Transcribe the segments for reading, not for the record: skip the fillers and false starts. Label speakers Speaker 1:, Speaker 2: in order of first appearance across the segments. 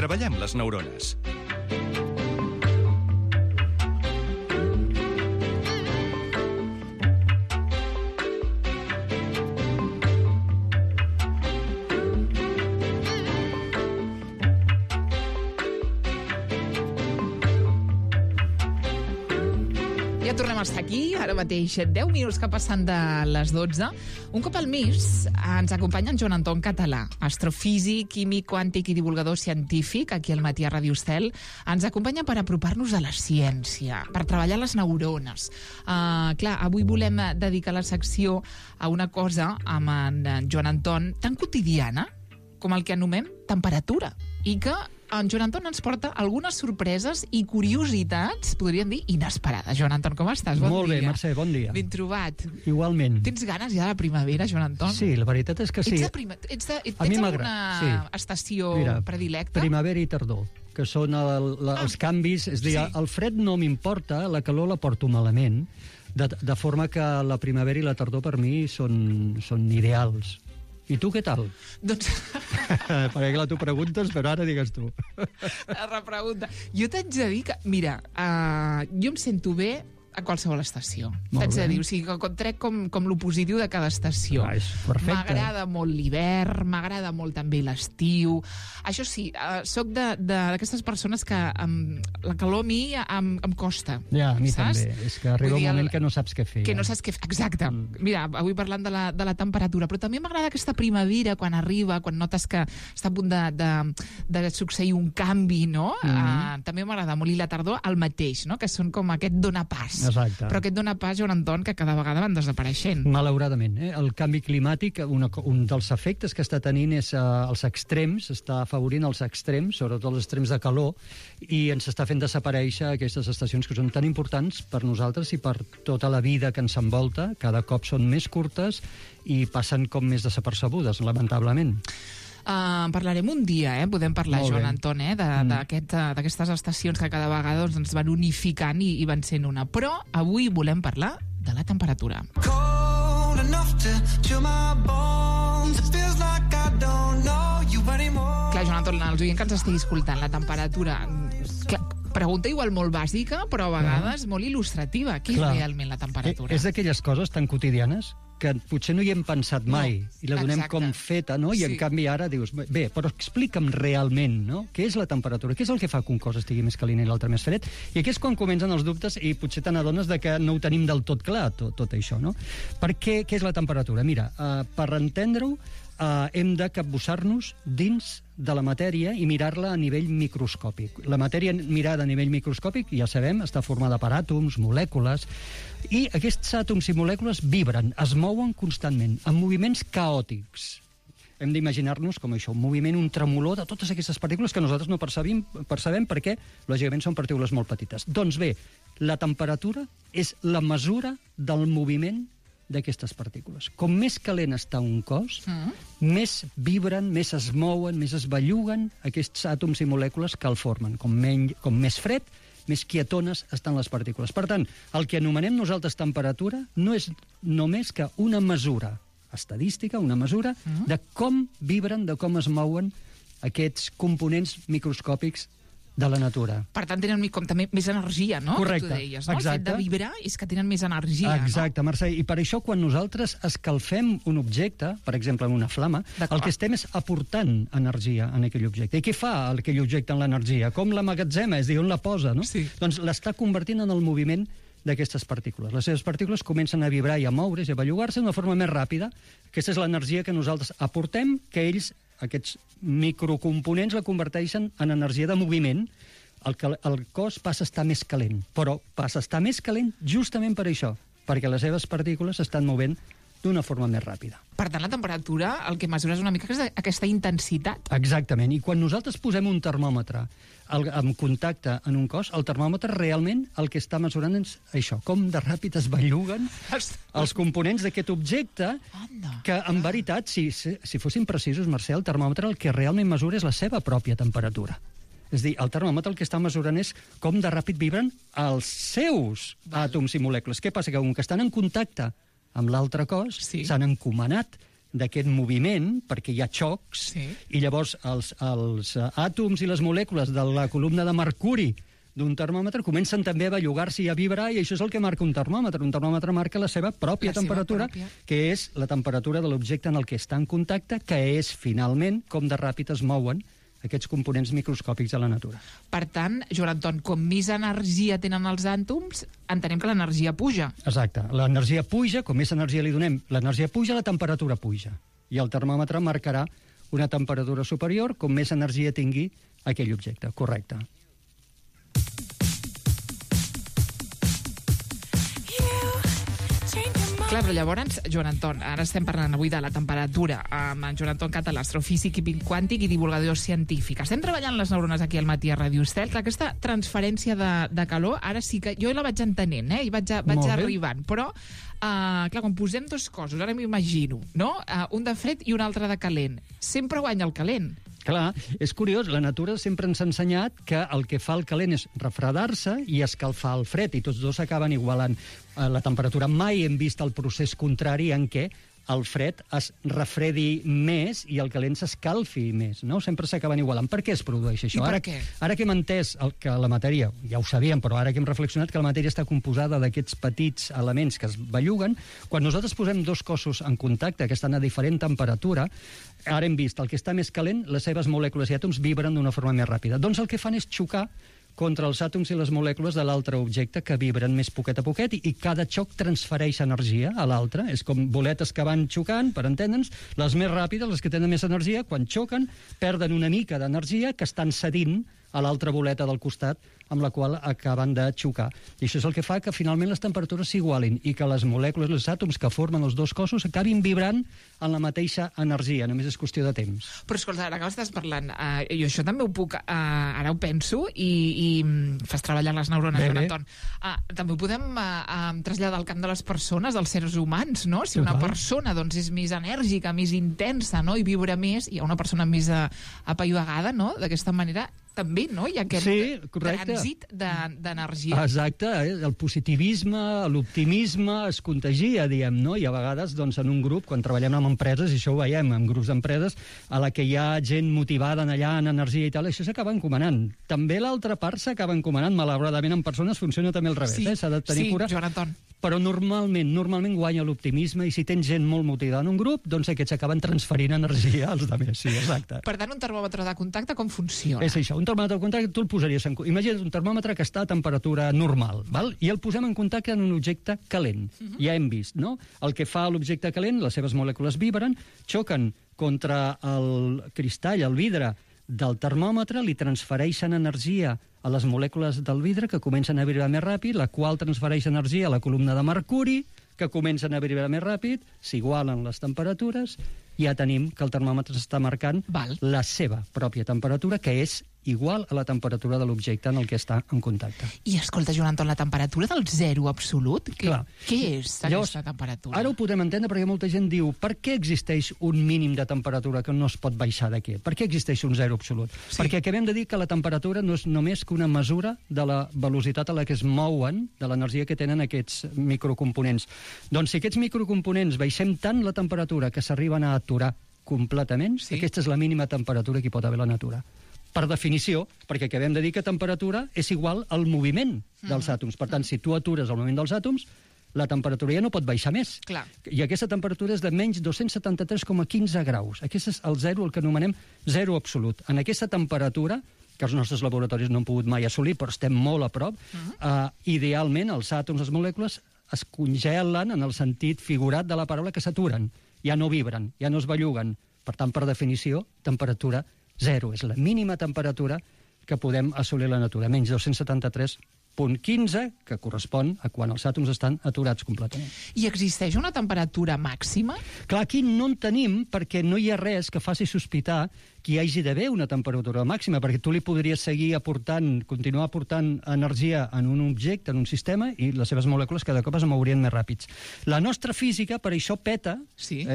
Speaker 1: Treballem les neurones.
Speaker 2: Ja tornem a estar aquí, ara mateix 10 minuts que passen de les 12. Un cop al mes ens acompanya en Joan Anton Català, astrofísic, químic, quàntic i divulgador científic, aquí al Matí a Ràdio Estel. Ens acompanya per apropar-nos a la ciència, per treballar les neurones. Clar, avui volem dedicar la secció a una cosa amb en Joan Anton tan quotidiana com el que anomenem temperatura, i que en Joan Anton ens porta algunes sorpreses i curiositats, podríem dir, inesperades. Joan Anton, com estàs? Bon dia.
Speaker 3: Molt bé, Mercè, bon dia.
Speaker 2: Ben trobat.
Speaker 3: Igualment.
Speaker 2: Tens ganes ja de la primavera, Joan Anton?
Speaker 3: Sí, la veritat és que sí.
Speaker 2: Tens alguna estació predilecta?
Speaker 3: Primavera i tardor, que són els canvis. És a dir, el fred no m'importa, la calor la porto malament, de forma que la primavera i la tardor per mi són ideals. I tu què tal?
Speaker 2: Doncs...
Speaker 3: Perquè clar, tu preguntes, però ara digues tu.
Speaker 2: La repregunta. Jo t'haig de dir que, mira, jo em sento bé a qualsevol estació. T'haig de dir, o sigui, que trec com lo positiu de cada estació.
Speaker 3: És perfecte.
Speaker 2: M'agrada molt l'hivern, m'agrada molt també l'estiu. Això sí, soc d'aquestes persones que la calor a mi em costa.
Speaker 3: Ja, a mi
Speaker 2: saps?
Speaker 3: també. És que arriba un moment que no saps què fer.
Speaker 2: Que no saps què fer, exacte. Mira, avui parlant de la temperatura, però també m'agrada aquesta primavera, quan arriba, quan notes que està a punt de succeir un canvi, no? També m'agrada molt. I la tardor, el mateix, no? Que són com aquest dona pas.
Speaker 3: Exacte.
Speaker 2: Però aquest dona pas, Joan Anton, que cada vegada van desapareixent.
Speaker 3: Malauradament. El canvi climàtic, un dels efectes que està tenint és els extrems, està afavorint els extrems, sobretot els extrems de calor, i ens està fent desaparèixer aquestes estacions que són tan importants per nosaltres i per tota la vida que ens envolta. Cada cop són més curtes i passen com més desapercebudes, lamentablement.
Speaker 2: Parlarem un dia, podem parlar, Joan Anton, d'aquestes estacions que cada vegada ens van unificant i van sent una. Però avui volem parlar de la temperatura. Clar, Joan Anton, els oients que ens estigui escoltant, la temperatura... Pregunta igual molt bàsica, però a vegades molt il·lustrativa. Què és realment la temperatura?
Speaker 3: És d'aquelles coses tan quotidianes que potser no hi hem pensat mai i la donem com feta, no? I en canvi ara dius, bé, però explica'm realment, no? Què és la temperatura? Què és el que fa que un cos estigui més calent i l'altre més fred? I aquí és quan comencen els dubtes i potser te n'adones de que no ho tenim del tot clar, tot això, no? Per què és la temperatura? Mira, per entendre-ho, hem de capbussar-nos dins de la matèria i mirar-la a nivell microscòpic. La matèria mirada a nivell microscòpic, ja sabem, està formada per àtoms, molècules, i aquests àtoms i molècules vibren, es mouen constantment, en moviments caòtics. Hem d'imaginar-nos com això, un moviment, un tremolor de totes aquestes partícules que nosaltres no percebem perquè, lògicament, són partícules molt petites. Doncs bé, la temperatura és la mesura del moviment d'aquestes partícules. Com més calent està un cos, més vibren, més es mouen, més es belluguen aquests àtoms i molècules que el formen. Com més fred, més quietones estan les partícules. Per tant, el que anomenem nosaltres temperatura no és només que una mesura estadística, una mesura de com vibren, de com es mouen aquests components microscòpics de la natura.
Speaker 2: Per tant, tenen com també més energia, no?
Speaker 3: Correcte,
Speaker 2: que tu deies, no?
Speaker 3: exacte.
Speaker 2: El fet de vibrar és que tenen més energia,
Speaker 3: exacte, no? Mercè, i per això quan nosaltres escalfem un objecte, per exemple en una flama, el que estem és aportant energia en aquell objecte. I què fa aquell objecte en l'energia? Com l'emmagatzema, és a dir, on la posa, no?
Speaker 2: Sí.
Speaker 3: Doncs l'està convertint en el moviment d'aquestes partícules. Les seves partícules comencen a vibrar i a moure's i a bellugar-se d'una forma més ràpida. Aquesta és l'energia que nosaltres aportem, que ells, aquests microcomponents, la converteixen en energia de moviment. El cos passa a estar més calent, però passa a estar més calent justament per això, perquè les seves partícules s'estan movent d'una forma més ràpida.
Speaker 2: Per tant, la temperatura, el que mesures una mica és aquesta intensitat.
Speaker 3: Exactament, i quan nosaltres posem un termòmetre en contacte en un cos, el termòmetre realment el que està mesurant és això, com de ràpid es belluguen els components d'aquest objecte, que en veritat, si fossin precisos, Mercè, el termòmetre el que realment mesura és la seva pròpia temperatura. És a dir, el termòmetre el que està mesurant és com de ràpid vibren els seus àtoms i molècules. Què passa? Que com que estan en contacte amb l'altre cos, s'han encomanat d'aquest moviment, perquè hi ha xocs, i llavors els àtoms i les molècules de la columna de mercuri d'un termòmetre comencen també a bellugar-se i a vibrar, i això és el que marca un termòmetre. Un termòmetre marca la seva pròpia temperatura, que és la temperatura de l'objecte en el que està en contacte, que és, finalment, com de ràpid es mouen aquests components microscòpics de la natura.
Speaker 2: Per tant, Joan Anton, com més energia tenen els àtoms, entenem que l'energia puja.
Speaker 3: Exacte. L'energia puja, com més energia li donem, l'energia puja, la temperatura puja. I el termòmetre marcarà una temperatura superior com més energia tingui aquell objecte. Correcte.
Speaker 2: Clar, però llavors, Joan Anton, ara estem parlant avui de la temperatura amb en Joan Anton Català, astrofísic i quàntic i divulgador científic. Estem treballant les neurones aquí al matí a Ràdio Estel. Clar, aquesta transferència de calor, ara sí que jo la vaig entenent, i vaig arribant, però clar, quan posem dos cossos, ara m'imagino, no? Un de fred i un altre de calent. Sempre guanya el calent.
Speaker 3: Clar, és curiós, la natura sempre ens ha ensenyat que el que fa el calent és refredar-se i escalfar el fred, i tots dos acaben igualant la temperatura. Mai hem vist el procés contrari en què el fred es refredi més i el calent s'escalfi més, no? Sempre s'acaben igualant. Per què es produeix això?
Speaker 2: I per què?
Speaker 3: Ara que hem entès que la matèria, ja ho sabíem, però ara que hem reflexionat que la matèria està composada d'aquests petits elements que es belluguen, quan nosaltres posem dos cossos en contacte que estan a diferent temperatura, ara hem vist el que està més calent, les seves molècules i àtoms vibren d'una forma més ràpida. Doncs el que fan és xocar contra els àtoms i les molècules de l'altre objecte, que vibren més poquet a poquet, i cada xoc transfereix energia a l'altre. És com boletes que van xocant, per entendre'ns, les més ràpides, les que tenen més energia, quan xoquen, perden una mica d'energia que estan cedint a l'altra boleta del costat amb la qual acaben de xocar. I això és el que fa que finalment les temperatures s'igualin i que les molècules, els àtoms que formen els dos cossos acabin vibrant en la mateixa energia, només és qüestió de temps.
Speaker 2: Però escolta, ara que estàs parlant, jo això també ho puc, ara ho penso, i fas treballar les neurones, Joan Anton. També ho podem traslladar al camp de les persones, dels seres humans, no? Si una persona doncs, és més enèrgica, més intensa, no? I vibra més, hi ha una persona més apaivagada, no? D'aquesta manera també, no? Hi ha aquest trànsit d'energia.
Speaker 3: Exacte, el positivisme, l'optimisme es contagia, diem, no? I a vegades, doncs, en un grup, quan treballem amb empreses, i això ho veiem, en grups d'empreses, a la que hi ha gent motivada allà en energia i tal, això s'acaba encomanant. També l'altra part s'acaba encomanant, malauradament en persones funciona també al revés, s'ha de tenir cura.
Speaker 2: Sí, Joan Anton.
Speaker 3: Però normalment guanya l'optimisme, i si tens gent molt motivada en un grup, doncs aquests acaben transferint energia als altres. Sí, exacte.
Speaker 2: Per tant, un termòmetre de contacte com funciona?
Speaker 3: És això, un termòmetre de contacte tu el posaries imagina't un termòmetre que està a temperatura normal, val? I el posem en contacte en un objecte calent. Ja hem vist, no? El que fa l'objecte calent, les seves molècules vibren, xoquen contra el cristall, el vidre del termòmetre, li transfereixen energia a les molècules del vidre, que comencen a vibrar més ràpid, la qual transfereix energia a la columna de mercuri, que comencen a vibrar més ràpid, s'igualen les temperatures, i ja tenim que el termòmetre està marcant la seva pròpia temperatura, que és igual a la temperatura de l'objecte en el que està en contacte.
Speaker 2: I escolta, Joan Anton, la temperatura del zero absolut, què és aquesta temperatura?
Speaker 3: Ara ho podrem entendre perquè molta gent diu per què existeix un mínim de temperatura que no es pot baixar d'aquí? Per què existeix un zero absolut? Perquè acabem de dir que la temperatura no és només que una mesura de la velocitat a la que es mouen, de l'energia que tenen aquests microcomponents. Doncs si aquests microcomponents baixem tant la temperatura que s'arriben a aturar completament, aquesta és la mínima temperatura que hi pot haver a la natura. Per definició, perquè acabem de dir que temperatura és igual al moviment dels àtoms. Per tant, si tu atures el moviment dels àtoms, la temperatura ja no pot baixar més.
Speaker 2: Clar.
Speaker 3: I aquesta temperatura és de menys 273,15 graus. Aquest és el zero, el que anomenem zero absolut. En aquesta temperatura, que els nostres laboratoris no han pogut mai assolir, però estem molt a prop, idealment els àtoms, les molècules, es congelen en el sentit figurat de la paraula, que s'aturen. Ja no vibren, ja no es belluguen. Per tant, per definició, temperatura zero. És la mínima temperatura que podem assolir a la natura, menys 273,15, que correspon a quan els àtoms estan aturats completament.
Speaker 2: I existeix una temperatura màxima?
Speaker 3: Clar, aquí no en tenim, perquè no hi ha res que faci sospitar que hi hagi d'haver una temperatura màxima, perquè tu li podries seguir aportant, continuar aportant energia en un objecte, en un sistema, i les seves molècules cada cop es mourien més ràpids. La nostra física, per això, peta,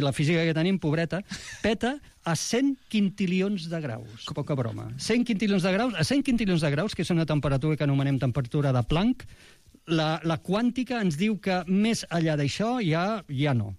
Speaker 3: la física que tenim, pobreta, peta a 100 quintilions de graus. Poca broma. 100 quintilions de graus, a 100 quintilions de graus, que és una temperatura que anomenem temperatura de Planck, la quàntica ens diu que més enllà d'això ja no.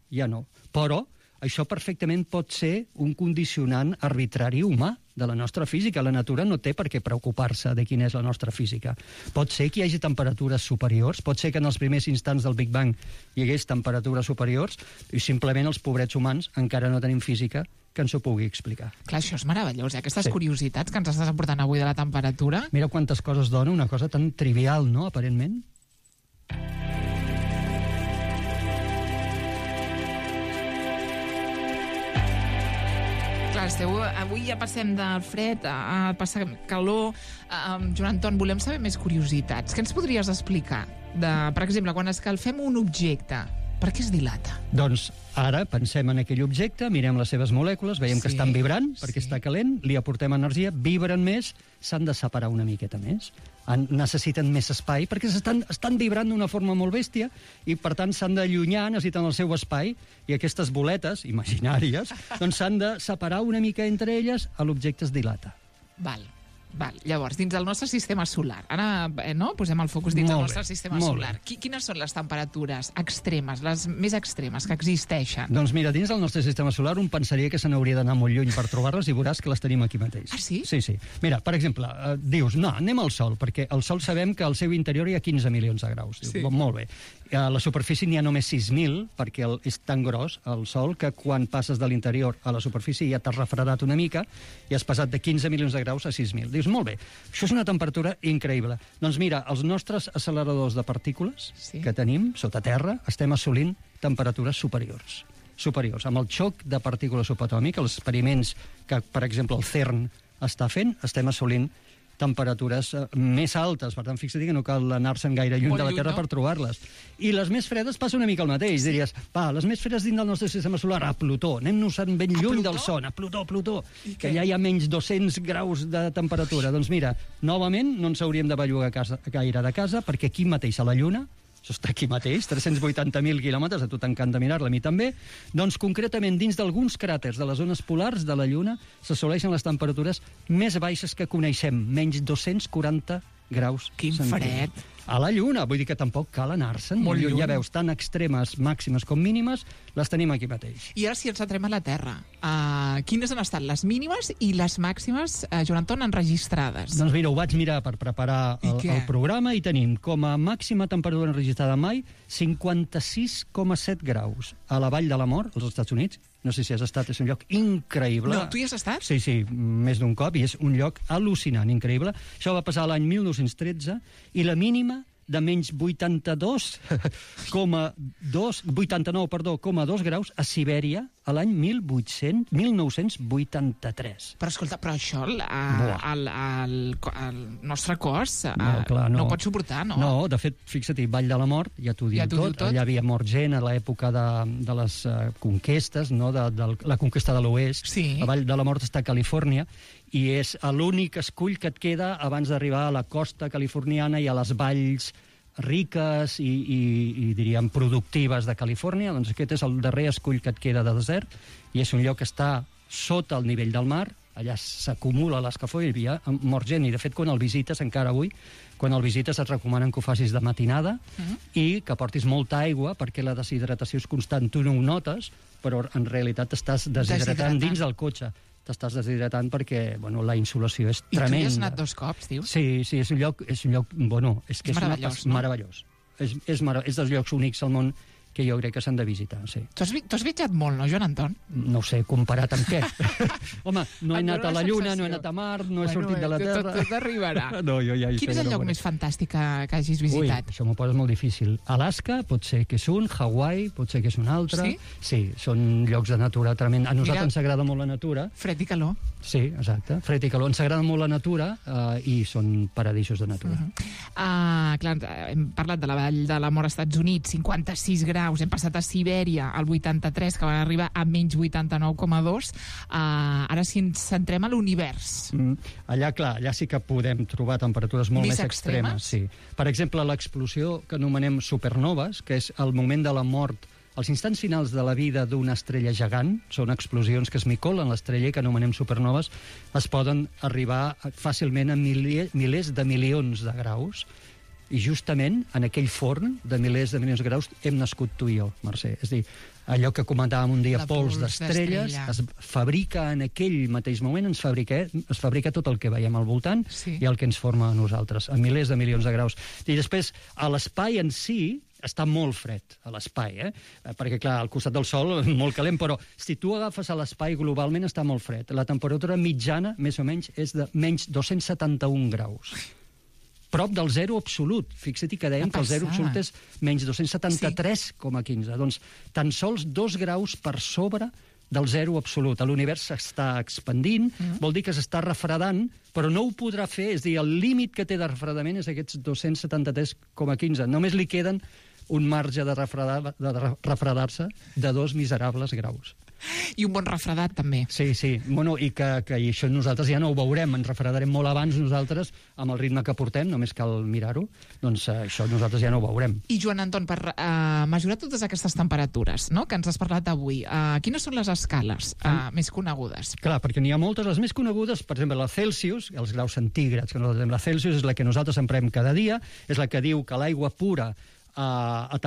Speaker 3: Però això perfectament pot ser un condicionant arbitrari humà de la nostra física. La natura no té per què preocupar-se de quina és la nostra física. Pot ser que hi hagi temperatures superiors, pot ser que en els primers instants del Big Bang hi hagués temperatures superiors i simplement els pobrets humans encara no tenim física que ens ho pugui explicar.
Speaker 2: Clar, això és meravellós, aquestes curiositats que ens estàs aportant avui de la temperatura.
Speaker 3: Mira quantes coses dona una cosa tan trivial, no?, aparentment.
Speaker 2: Clar, avui ja passem del fred a passar calor. Joan Anton, volem saber més curiositats. Què ens podries explicar? Per exemple, quan escalfem un objecte, per què es dilata?
Speaker 3: Doncs ara pensem en aquell objecte, mirem les seves molècules, veiem que estan vibrant perquè està calent, li aportem energia, vibren més, s'han de separar una miqueta més. Necessiten més espai perquè estan vibrant d'una forma molt bèstia i, per tant, s'han d'allunyar, necessiten el seu espai i aquestes boletes imaginàries doncs s'han de separar una mica entre elles, l'objecte es dilata.
Speaker 2: Val. Llavors, dins del nostre sistema solar, ara posem el focus dins del nostre sistema solar. Quines són les temperatures extremes, les més extremes que existeixen?
Speaker 3: Doncs mira, dins del nostre sistema solar un pensaria que se n'hauria d'anar molt lluny per trobar-les i veuràs que les tenim aquí mateix.
Speaker 2: Ah, sí?
Speaker 3: Sí. Mira, per exemple, dius, no, anem al Sol, perquè al Sol sabem que al seu interior hi ha 15 milions de graus.
Speaker 2: Sí.
Speaker 3: Molt bé. A la superfície n'hi ha només 6.000, perquè és tan gros el Sol que quan passes de l'interior a la superfície ja t'has refredat una mica i has passat de 15 milions de graus a 6.000. Dius, molt bé, això és una temperatura increïble. Doncs mira, els nostres acceleradors de partícules que tenim sota terra estem assolint temperatures superiors. Amb el xoc de partícules subatòmiques, els experiments que, per exemple, el CERN està fent, estem assolint temperatures més altes. Per tant, fixa't que no cal anar-se'n gaire lluny de la Terra per trobar-les. I les més fredes passa una mica el mateix. Diries, les més fredes dins del nostre sistema solar, a Plutó. Anem-nos-en ben lluny del Sol, a Plutó, que allà hi ha menys 200 graus de temperatura. Doncs mira, novament no ens hauríem de bellugar gaire de casa, perquè aquí mateix a la Lluna, això està aquí mateix, 380.000 quilòmetres, a tu t'encanta mirar-la, a mi també, doncs concretament dins d'alguns cràters de les zones polars de la Lluna s'assoleixen les temperatures més baixes que coneixem, menys 240 graus.
Speaker 2: Quin fred!
Speaker 3: A la Lluna, vull dir que tampoc cal anar-se'n.
Speaker 2: Molt lluny.
Speaker 3: Ja veus, tant extremes, màximes com mínimes, les tenim aquí mateix.
Speaker 2: I ara si ens centrem a la Terra, quines han estat les mínimes i les màximes, Joan Anton, enregistrades?
Speaker 3: Doncs mira, ho vaig mirar per preparar el programa i tenim com a màxima temperatura enregistrada mai 56,7 graus a la Vall de la Mort, als Estats Units. No sé si has estat, és un lloc increïble.
Speaker 2: No, tu hi has estat?
Speaker 3: Sí, més d'un cop, i és un lloc al·lucinant, increïble. Això va passar l'any 1913, i la mínima de menys 89,2 graus a Sibèria a l'any 1983.
Speaker 2: Però escolta, això el nostre cos no pot suportar, no?
Speaker 3: No, de fet, fixa't, Vall de la Mort, ja t'ho diu tot. Allà havia mort gent a l'època de les conquestes, no? De la conquesta de l'Oest.
Speaker 2: Sí.
Speaker 3: La Vall de la Mort està a Califòrnia, i és l'únic escull que et queda abans d'arribar a la costa californiana i a les valls riques i diríem productives de Califòrnia. Doncs aquest és el darrer escull que et queda de desert i és un lloc que està sota el nivell del mar. Allà s'acumula l'escalfor i hi havia mort gent, i de fet quan el visites encara avui, quan el visites et recomanen que ho facis de matinada i que portis molta aigua perquè la deshidratació és constant. Tu no ho notes, però en realitat t'estàs deshidratant dins del cotxe. T'estàs deshidratant perquè la insolació és tremenda.
Speaker 2: I tu hi has anat 2 cops, dius?
Speaker 3: Sí, és un lloc, és
Speaker 2: meravellós, no?
Speaker 3: Meravellós. És dels llocs únics al món que jo crec que s'han de visitar, sí.
Speaker 2: Tu has viatjat molt, no, Joan Anton?
Speaker 3: No ho sé, comparat amb què? Home, no he anat a la Lluna, no he anat a Mar, no he sortit de la Terra.
Speaker 2: Tot arribarà.
Speaker 3: No, jo ja
Speaker 2: Quin és el lloc més fantàstic que hagis visitat?
Speaker 3: Ui, això m'ho poses molt difícil. Alaska pot ser que és un, Hawaii pot ser que és un altre.
Speaker 2: Sí?
Speaker 3: Sí, són llocs de natura tremenda. A nosaltres ens agrada molt la natura.
Speaker 2: Fred i calor.
Speaker 3: Sí, exacte. Fred i calor. Ens agrada molt la natura i són paradisos de natura.
Speaker 2: Clar, hem parlat de la Vall de la Mort als Estats Units, 56 graus, hem passat a Sibèria, al 83, que van arribar a menys 89,2. Ara si ens centrem a l'univers.
Speaker 3: Allà, clar, allà sí que podem trobar temperatures molt més extremes. Sí. Per exemple, l'explosió que anomenem supernoves, que és el moment de la mort, els instants finals de la vida d'una estrella gegant, són explosions que es micolen l'estrella i que anomenem supernoves, es poden arribar fàcilment a milers de milions de graus. I justament en aquell forn de milers de milions de graus hem nascut tu i jo, Mercè. És a dir, allò que comentàvem un dia,
Speaker 2: La
Speaker 3: pols d'estrelles, es fabrica en aquell mateix moment, es fabrica tot el que veiem al voltant i el que ens forma a nosaltres, a milers de milions de graus. I després, a l'espai en si, està molt fred, a l'espai, perquè, clar, al costat del Sol, molt calent, però si tu agafes a l'espai, globalment està molt fred. La temperatura mitjana, més o menys, és de menys 271 graus. Prop del zero absolut. Fixa't que dèiem que el zero absolut és menys 273,15. Doncs tan sols 2 graus per sobre del zero absolut. L'univers s'està expandint, vol dir que s'està refredant, però no ho podrà fer, és a dir, el límit que té de refredament és aquests 273,15. Només li queden un marge de refredar-se de 2 miserables graus.
Speaker 2: I un bon refredat, també.
Speaker 3: Sí, sí. Bueno, i que això nosaltres ja no ho veurem. Ens refredarem molt abans nosaltres, amb el ritme que portem, només cal mirar-ho. Doncs això nosaltres ja no ho veurem.
Speaker 2: I, Joan Anton, per mesurar totes aquestes temperatures, no?, que ens has parlat avui, quines són les escales més conegudes?
Speaker 3: Clar, perquè n'hi ha moltes. Les més conegudes, per exemple, la Celsius, els graus centígrads, que nosaltres la Celsius és la que nosaltres emprem cada dia, és la que diu que l'aigua pura a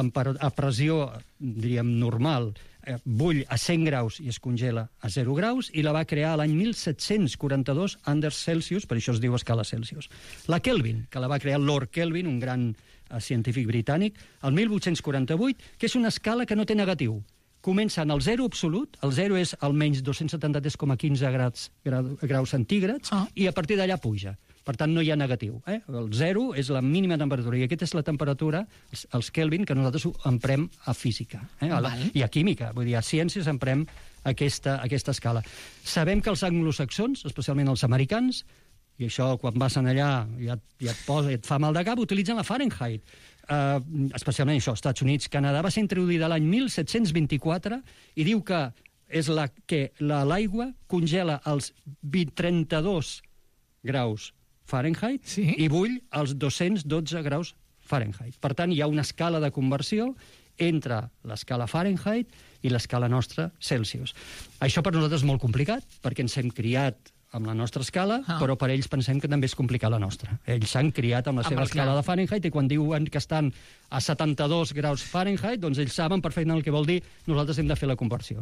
Speaker 3: pressió, diríem, normal, bull a 100 graus i es congela a 0 graus, i la va crear l'any 1742 Anders Celsius, per això es diu escala Celsius. La Kelvin, que la va crear Lord Kelvin, un gran científic britànic, el 1848, que és una escala que no té negatiu. Comença en el zero absolut, el zero és el menys 273,15 graus centígrads, i a partir d'allà puja. Per tant, no hi ha negatiu. El zero és la mínima temperatura, i aquesta és la temperatura, els Kelvin, que nosaltres emprem a física i a química. Vull dir, a ciències emprem aquesta escala. Sabem que els anglosaxons, especialment els americans, i això quan vas allà ja et fa mal de cap, utilitzen la Fahrenheit. Especialment això, Estats Units, Canadà, va ser introduïda l'any 1724 i diu que és que l'aigua congela als 32 graus Fahrenheit i bull als 212 graus Fahrenheit. Per tant, hi ha una escala de conversió entre l'escala Fahrenheit i l'escala nostra Celsius. Això per nosaltres és molt complicat, perquè ens hem criat amb la nostra escala, però per ells pensem que també és complicar la nostra. Ells s'han criat amb la seva escala de Fahrenheit, i quan diuen que estan a 72 graus Fahrenheit, doncs ells saben perfectament el que vol dir, nosaltres hem de fer la conversió.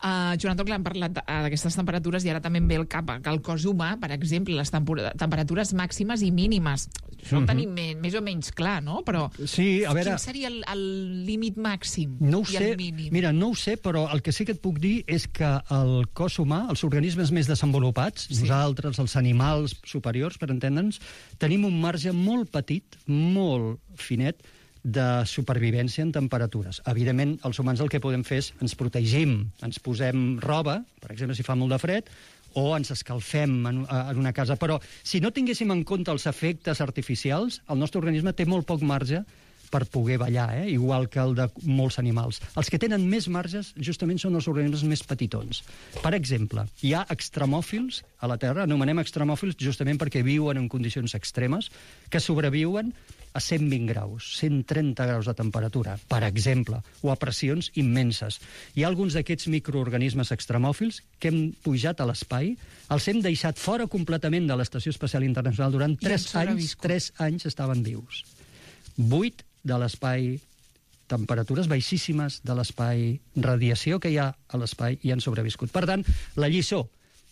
Speaker 2: Joan Anton, hem parlat d'aquestes temperatures i ara també em ve al cap que el cos humà, per exemple, les temperatures màximes i mínimes. Això ho tenim més o menys clar, no? Però
Speaker 3: sí, a veure,
Speaker 2: quin seria el límit màxim
Speaker 3: i el mínim? Mira, no ho sé, però el que sí que et puc dir és que el cos humà, els organismes més desenvolupats, nosaltres, els animals superiors, per entendre'ns, tenim un marge molt petit, molt finet, de supervivència en temperatures. Evidentment, els humans el que podem fer és ens protegim, ens posem roba, per exemple, si fa molt de fred, o ens escalfem en una casa. Però si no tinguéssim en compte els efectes artificials, el nostre organisme té molt poc marge per poder ballar, igual que el de molts animals. Els que tenen més marges justament són els organismes més petitons. Per exemple, hi ha extremòfils a la Terra, anomenem extremòfils justament perquè viuen en condicions extremes, que sobreviuen a 120 graus, 130 graus de temperatura, per exemple, o a pressions immenses. Hi ha alguns d'aquests microorganismes extremòfils que hem pujat a l'espai, els hem deixat fora completament de l'Estació Espacial Internacional durant 3 anys, 3 anys estaven vius. 8 de l'espai, temperatures baixíssimes de l'espai, radiació que hi ha a l'espai, i han sobreviscut. Per tant, la lliçó,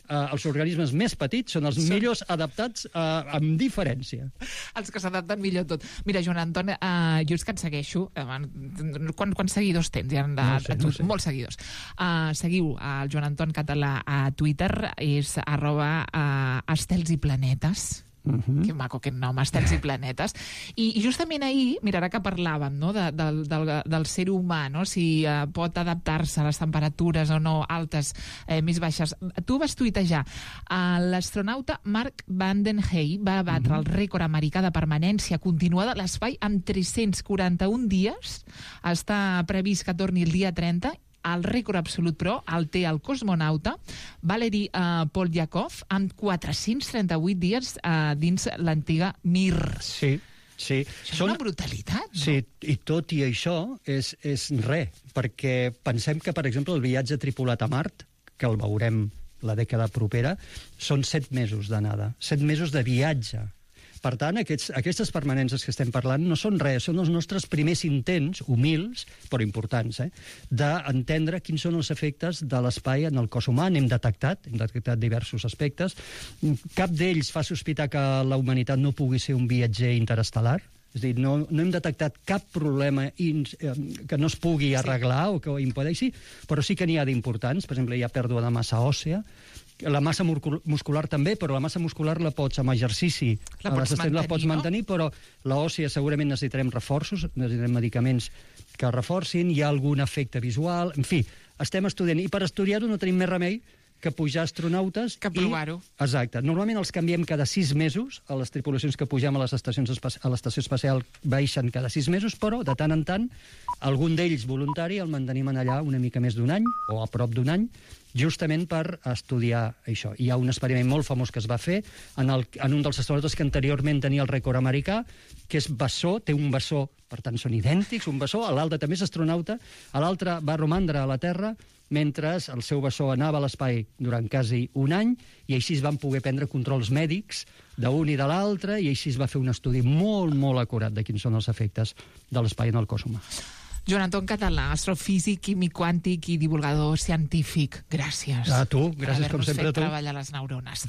Speaker 3: els organismes més petits són els millors adaptats amb diferència.
Speaker 2: Els que s'adapten millor tot. Mira, Joan Anton, jo és que et segueixo. Quants seguidors tens? No sé. Molts seguidors. Seguiu el Joan Anton Català a Twitter, és @estels i planetes. Que maco aquest nom, Estels i planetes. I justament ahir, mira, ara que parlàvem, no, del ser humà, no, si pot adaptar-se a les temperatures o no altes, més baixes. Tu vas tuitejar, l'astronauta Mark Vanden Hey va batre el rècord americà de permanència continuada a l'espai amb 341 dies. Està previst que torni el dia 30. El rècord absolut, però, el té el cosmonauta Valery Polyakov amb 438 dies dins l'antiga Mir.
Speaker 3: Sí.
Speaker 2: Això és una brutalitat, no?
Speaker 3: Sí, i tot i això és res, perquè pensem que, per exemple, el viatge tripulat a Mart, que el veurem la dècada propera, són 7 mesos d'anada, 7 mesos de viatge. Per tant, aquestes permanències que estem parlant no són res, són els nostres primers intents, humils, però importants, d'entendre quins són els efectes de l'espai en el cos humà. Hem detectat diversos aspectes. Cap d'ells fa sospitar que la humanitat no pugui ser un viatger interestel·lar. És a dir, no hem detectat cap problema que no es pugui arreglar o que ho impedeixi, però sí que n'hi ha d'importants. Per exemple, hi ha pèrdua de massa òssea, la massa muscular també, però la massa muscular la pots, amb exercici, la pots mantenir, però l'òssia segurament necessitarem reforços, necessitarem medicaments que reforcin, hi ha algun efecte visual, en fi, estem estudiant, i per estudiar-ho no tenim més remei que pujar astronautes...
Speaker 2: Que provar-ho.
Speaker 3: Exacte. Normalment els canviem cada 6 mesos, a les tripulacions que pugem a l'estació espacial baixen cada 6 mesos, però de tant en tant algun d'ells voluntari el mantenim allà una mica més d'un any, o a prop d'un any, justament per estudiar això. Hi ha un experiment molt famós que es va fer en un dels astronautes que anteriorment tenia el rècord americà, que és bessó, té un bessó, per tant són idèntics, un bessó, l'altre també és astronauta, l'altre va romandre a la Terra mentre el seu bessó anava a l'espai durant quasi un any, i així es van poder prendre controls mèdics d'un i de l'altre, i així es va fer un estudi molt, molt acurat de quins són els efectes de l'espai en el cos humà.
Speaker 2: Joan Anton Català, astrofísic, químic quàntic i divulgador científic. Gràcies.
Speaker 3: A tu, gràcies com sempre a tu.
Speaker 2: Per haver-nos fet treballar les neurones.